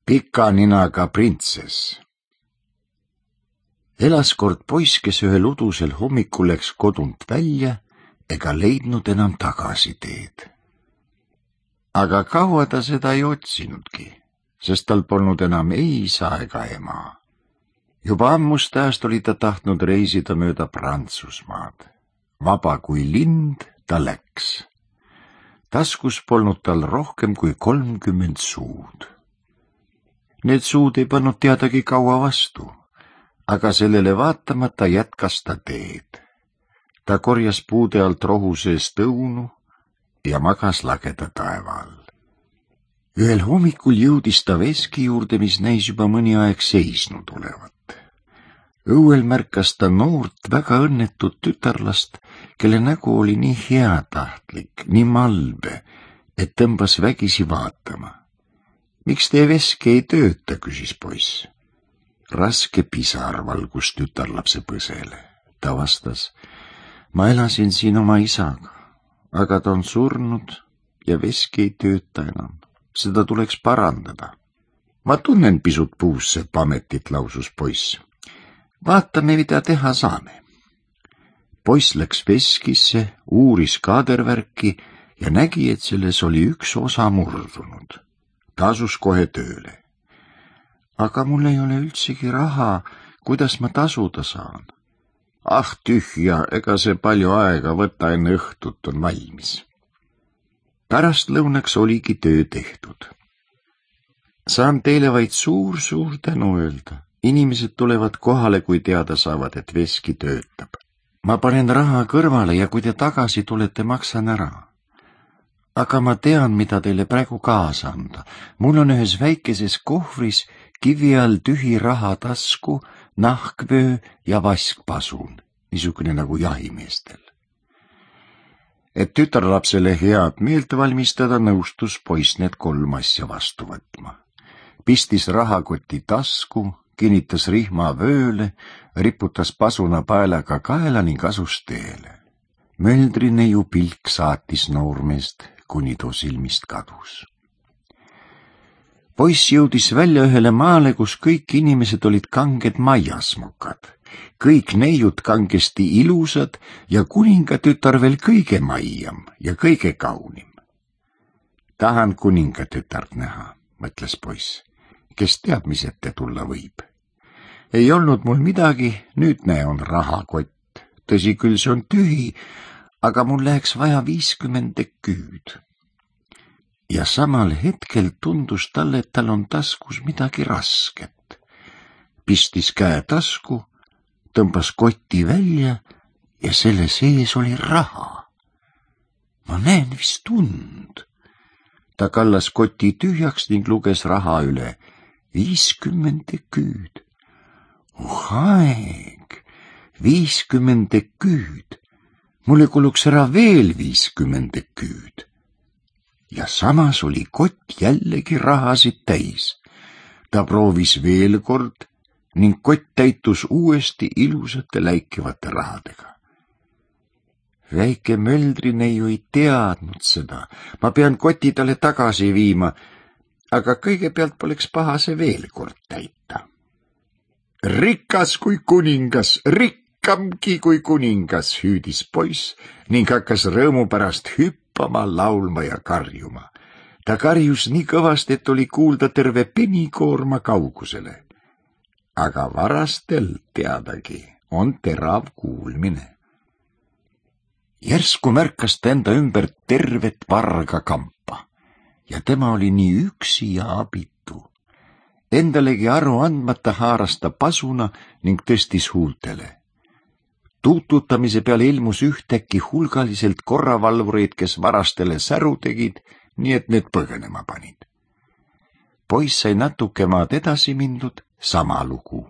Pika ninaga printsess. Elas kord poiss, kes ühel udusel hommikul läks kodunt välja ega leidnud enam tagasiteed. Aga kaua ta seda ei otsinudki, sest tal polnud enam ei isa ega ema. Juba ammust ajast oli ta tahtnud reisida mööda Prantsusmaad. Vaba kui lind ta läks. Taskus polnud tal rohkem kui 30 suud. Need suud ei pannud teadagi kaua vastu, aga sellele vaatamata jätkas ta teed. Ta korjas puude alt rohu seest õunu ja magas lageda taeva all. Ühel hommikul jõudis ta veski juurde, mis näis juba mõni aeg seisnud olevat. Õuel märkas ta noort, väga õnnetut tütarlast, kelle nägu oli nii heatahtlik, nii malbe, et tõmbas vägisi vaatama. Miks teie veski ei tööta, küsis poiss. Raske pisar valgus tütarlapse põsele. Ta vastas, ma elasin siin oma isaga, aga ta on surnud ja veski ei tööta enam. Seda tuleks parandada. Ma tunnen pisut puussepp ametit, lausus poiss. Vaatame, mida teha saame. Poiss läks veskisse, uuris kaadervärki ja nägi, et selles oli üks osa murdunud. Ta asus kohe tööle. Aga mul ei ole üldsegi raha, kuidas ma tasuda saan? Ah, tühja, ega see palju aega võtta, enne õhtut on valmis. Pärast lõunaks oligi töö tehtud. Saan teile vaid suur tänu öelda. Inimesed tulevad kohale, kui teada saavad, et veski töötab. Ma panen raha kõrvale ja kui te tagasi tulete, maksan ära. Aga ma tean, mida teile praegu kaasa anda. Mul on ühes väikeses kohvris kivi all tühi rahatasku, nahkvöö ja vaskpasun, niisugune nagu jahimeestel. Et tütarlapsele head meelt valmistada, nõustus poiss need 3 asja vastu võtma. Pistis rahakoti tasku, kinnitas rihma vööle, riputas pasuna paelaga kaela ning asus teele. Möldrineiu pilk saatis noormeest, kuni too silmist kadus. Poiss jõudis välja ühele maale, kus kõik inimesed olid kanged maiasmokad, kõik neiud kangesti ilusad ja kuningatütar veel kõige maiam ja kõige kaunim. Tahan kuningatütart näha, mõtles poiss, kes teab, mis ette tulla võib. Ei olnud mul midagi, nüüd näe on rahakott. Tõsi küll, see on tühi, aga mul läheks vaja 50 küüd. Ja samal hetkel tundus talle, et tal on taskus midagi rasket. Pistis käe tasku, tõmbas kotti välja ja selle sees oli raha. Ma näen vist und. Ta kallas koti tühjaks ning luges raha üle. 50 küüd. Aeg, 50 küüd. Mulle kuluks ära veel 50 küüd. Ja samas oli kott jällegi rahasid täis. Ta proovis veel kord ning kott täitus uuesti ilusate läikivate rahadega. Väike möldrineiu ei teadnud seda. Ma pean koti talle tagasi viima, aga kõigepealt poleks paha see veel kord täita. Rikas kui kuningas, rikkamgi kui kuningas, hüüdis poiss ning hakkas rõõmu pärast hüppama, laulma ja karjuma. Ta karjus nii kõvasti, et oli kuulda terve penikoorma kaugusele. Aga varastel teadagi on terav kuulmine. Järsku märkas ta enda ümber tervet varga kampa ja tema oli nii üksi ja abitu. Endalegi aru andmata haaras ta pasuna ning tõstis huultele. Tuututamise peale ilmus ühtäkki hulgaliselt korravalvureid, kes varastele säru tegid, nii et need põgenema panid. Poiss sai natuke maad edasi mindud, sama lugu.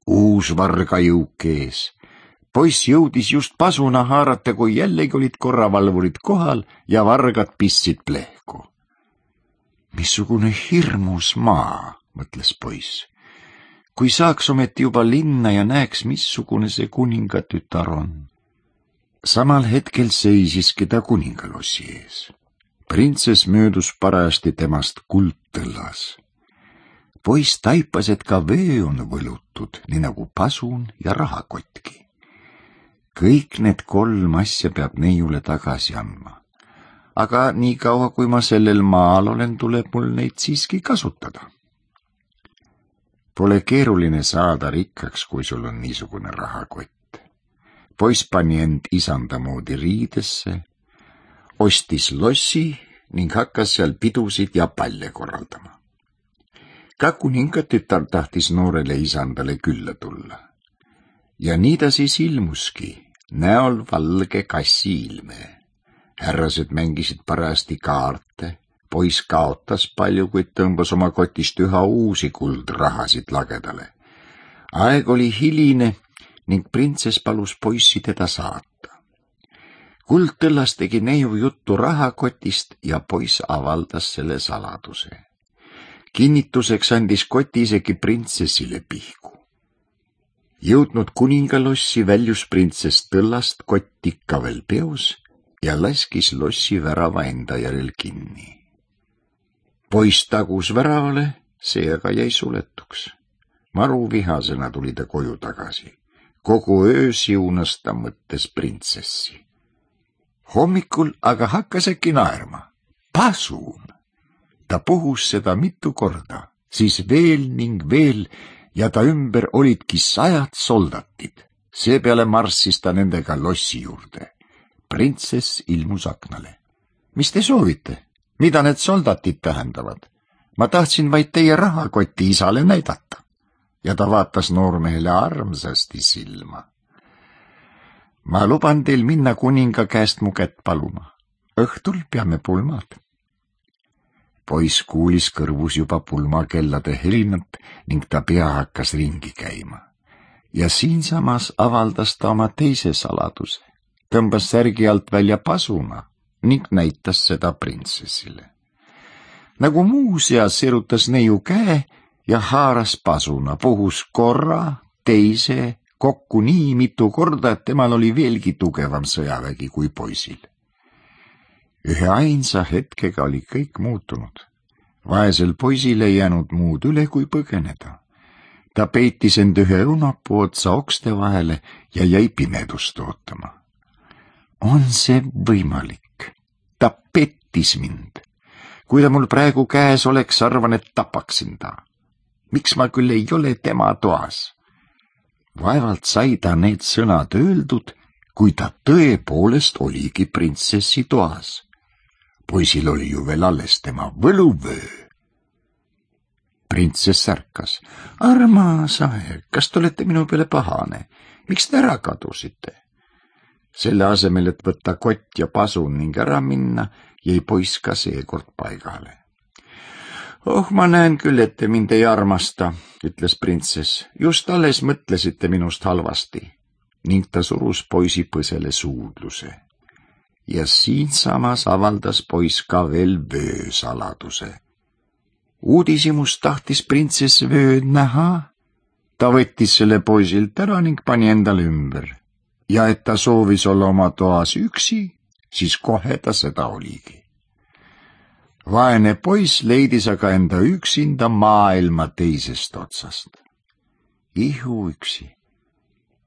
Uus vargajõuk ees. Poiss jõudis just pasuna haarata, kui jällegi olid korravalvurid kohal ja vargad pistsid plehku. Missugune hirmus maa, mõtles poiss. Kui saaks ometi juba linna ja näeks, missugune see kuningatütar on. Samal hetkel seisiski ta kuningalossi ees. Printsess möödus parajasti temast kuldtõllas. Poiss taipas, et ka vöö on võlutud, nii nagu pasun ja rahakotki. Kõik need 3 asja peab neiule tagasi andma. Aga nii kaua, kui ma sellel maal olen, tuleb mul neid siiski kasutada. Pole keeruline saada rikkaks, kui sul on niisugune rahakott. Poiss pani end isanda moodi riidesse, ostis lossi ning hakkas seal pidusid ja palle korraldama. Ka kuninga tütar tahtis noorele isandale külla tulla. Ja nii ta siis ilmuski, näol valge kassi ilme. Härrased mängisid parajasti kaarte, poiss kaotas palju, kuid tõmbas oma kotist üha uusi kuldrahasid lagedale. Aeg oli hiline ning printsess palus poissi teda saata. Kuldtõllas tegi neiu juttu rahakotist ja poiss avaldas selle saladuse. Kinnituseks andis koti isegi printsessile pihku. Jõudnud kuningalossi väljus printsess tõllast kott ikka veel peos ja laskis lossi värava enda järel kinni. Poiss tagus väravale, see aga jäi suletuks. Maru vihasena tuli ta koju tagasi. Kogu öö siunas ta mõttes printsessi. Hommikul aga hakkas äkki naerma. Pasun! Ta puhus seda mitu korda, siis veel ning veel ja ta ümber olidki 100 soldatid. Seepeale marssis ta nendega lossi juurde. Printsess ilmus aknale. Mis te soovite? Mida need soldatid tähendavad? Ma tahtsin vaid teie rahakoti isale näidata. Ja ta vaatas noormehele armsasti silma. Ma luban teil minna kuninga käest mu kätt paluma. Õhtul peame pulmad. Poiss kuulis kõrvus juba pulmakellade helinat ning ta pea hakkas ringi käima. Ja siinsamas avaldas ta oma teise saladuse. Tõmbas särgi alt välja pasuna ning näitas seda printsessile. Nagu muuseas sirutas neiu käe ja haaras pasuna, puhus korra, teise, kokku nii mitu korda, et temal oli veelgi tugevam sõjavägi kui poisil. Ühe ainsa hetkega oli kõik muutunud. Vaesel poisil ei jäänud muud üle kui põgeneda. Ta peitis end ühe õunapuu otsa okste vahele ja jäi pimedust ootama. On see võimalik? Ta pettis mind. Kui ta mul praegu käes oleks, arvan, et tapaksin ta. Miks ma küll ei ole tema toas? Vaevalt sai ta need sõnad öeldud, kui ta tõepoolest oligi printsessi toas. Poisil oli ju veel alles tema võluvöö. Printsess ärkas. Armas aeg, kas te olete minu peale pahane? Miks te ära kadusite? Selle asemel, et võtta kott ja pasun ning ära minna, jäi poiss ka seekord paigale. Oh, ma näen küll, et te mind ei armasta, ütles printsess. Just alles mõtlesite minust halvasti. Ning ta surus poisi põsele suudluse. Ja siinsamas avaldas poiss ka veel vöösaladuse. Uudishimust tahtis printsess vööd näha. Ta võttis selle poisilt ära ning pani endale ümber. Ja et ta soovis olla oma toas üksi, siis kohe ta seda oligi. Vaene poiss leidis aga enda üksinda maailma teisest otsast. Ihuüksi,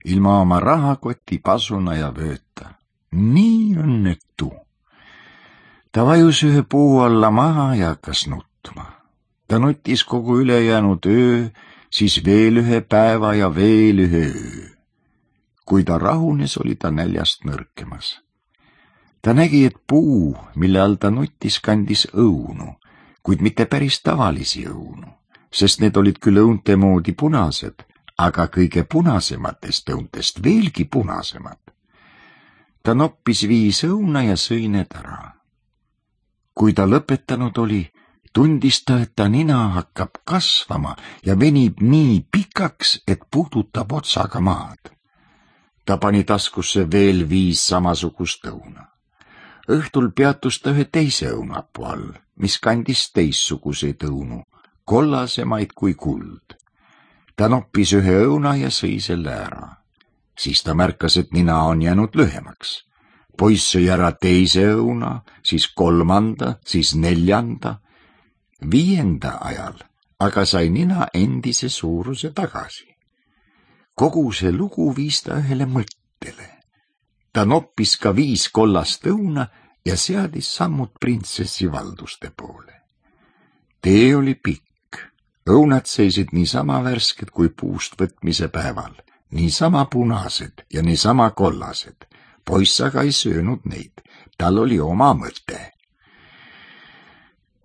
ilma oma rahakoti, pasuna ja vööta. Nii õnnetu. Ta vajus ühe puu alla maha ja hakkas nutma. Ta nutis kogu ülejäänud öö, siis veel ühe päeva ja veel ühe öö. Kui ta rahunes, oli ta näljast nõrkemas. Ta nägi, et puu, mille all ta nutis, kandis õunu, kuid mitte päris tavalisi õunu, sest need olid küll õunte moodi punased, aga kõige punasematest õuntest veelgi punasemad. Ta noppis 5 õuna ja sõi need ära. Kui ta lõpetanud oli, tundis ta, et ta nina hakkab kasvama ja venib nii pikaks, et puudutab otsaga maad. Ta pani taskusse veel 5 samasugust õuna. Õhtul peatus ta ühe teise õunapuu all, mis kandis teistsuguseid õunu, kollasemaid kui kuld. Ta noppis ühe õuna ja sõi selle ära. Siis ta märkas, et nina on jäänud lühemaks. Poiss sõi ära teise õuna, siis 3., siis 4., 5. ajal aga sai nina endise suuruse tagasi. Kogu see lugu viis ta ühele mõttele. Ta noppis ka 5 kollast õuna ja seadis sammud printsessi valduste poole. Tee oli pikk. Õunad seisid niisama värsked kui puust võtmise päeval, niisama punased ja niisama kollased. Poiss aga ei söönud neid, tal oli oma mõte.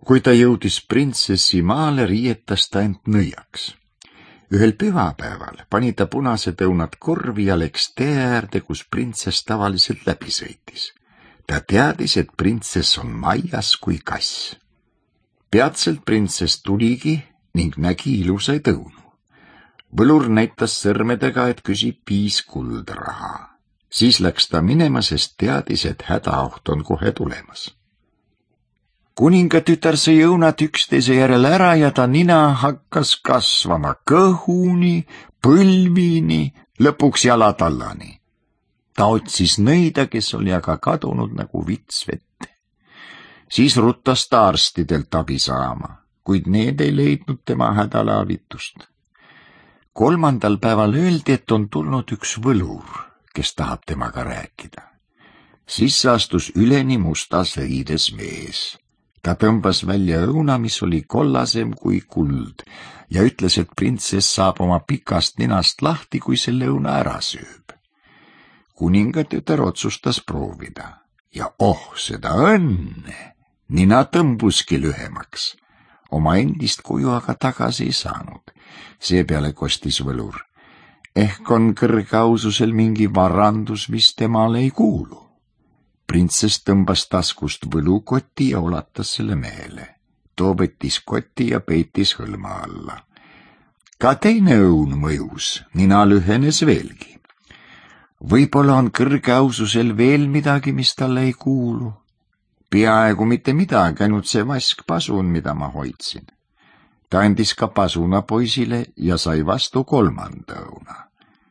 Kui ta jõudis printsessi maale, riietas ta end nõiaks. Ühel pühapäeval pani ta punased õunad korvi ja läks tee äärde, kus printsess tavaliselt läbi sõitis. Ta teadis, et printsess on majas kui kass. Peatselt printsess tuligi ning nägi ilusaid õunu. Võlur näitas sõrmedega, et küsib 5 kuldraha. Siis läks ta minema, sest teadis, et hädaoht on kohe tulemas. Kuningatütar sõi õunad üksteise järel ära ja ta nina hakkas kasvama kõhuni, põlvini, lõpuks jalatallani. Ta otsis nõida, kes oli aga kadunud nagu vits vette. Siis ruttas ta arstidelt abi saama, kuid need ei leidnud tema hädale avitust. 3. päeval öeldi, et on tulnud üks võlur, kes tahab temaga rääkida. Siis astus üleni mustas riides mees. Ta tõmbas välja õuna, mis oli kollasem kui kuld ja ütles, et printsess saab oma pikast ninast lahti, kui selle õuna ära sööb. Kuningatütar otsustas proovida ja seda õnne! Nina tõmbuski lühemaks. Oma endist kuju aga tagasi ei saanud. Seepeale kostis võlur. Ehk on kõrgeaususel mingi varandus, mis temale ei kuulu. Printsess tõmbas taskust võlukoti ja ulatas selle mehele. Too võttis koti ja peitis hõlma alla. Ka teine õun mõjus, nina lühenes veelgi. Võib-olla on kõrgeaususel veel midagi, mis talle ei kuulu. Peaaegu mitte midagi, ainult see vaskpasun, mida ma hoidsin. Ta andis ka pasuna poisile ja sai vastu 3. õuna.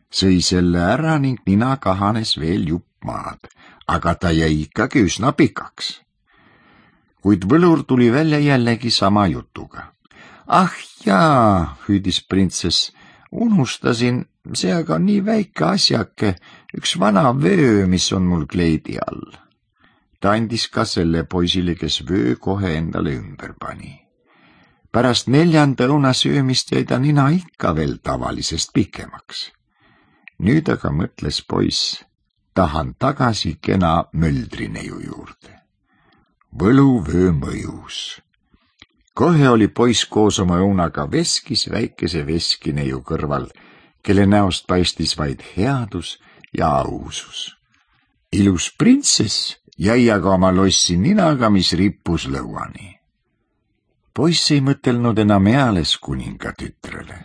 Sõi selle ära ning nina kahanes veel jupp maad, aga ta jäi ikkagi üsna pikaks. Kuid võlur tuli välja jällegi sama jutuga. Ah jaa, hüüdis printsess, unustasin, see aga on nii väike asjake, üks vana vöö, mis on mul kleidi all. Ta andis ka selle poisile, kes vöö kohe endale ümber pani. Pärast 4. õuna söömist jäi ta nina ikka veel tavalisest pikemaks. Nüüd aga mõtles poiss, tahan tagasi kena möldrineiu juurde. Võluvöö mõjus. Kohe oli poiss koos oma õunaga veskis väikese veskineiu kõrval, kelle näost paistis vaid headus ja ausus. Ilus printsess jäi aga oma lossi ninaga, mis rippus lõuani. Poiss ei mõtelnud enam eales kuningatütrele.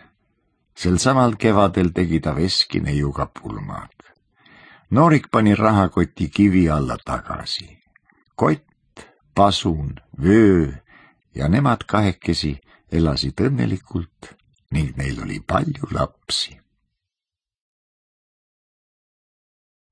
Sel samal kevadel tegi ta veskineiuga pulmad. Noorik pani rahakoti kivi alla tagasi. Kott, pasun, vöö ja nemad kahekesi elasid õnnelikult ning neil oli palju lapsi.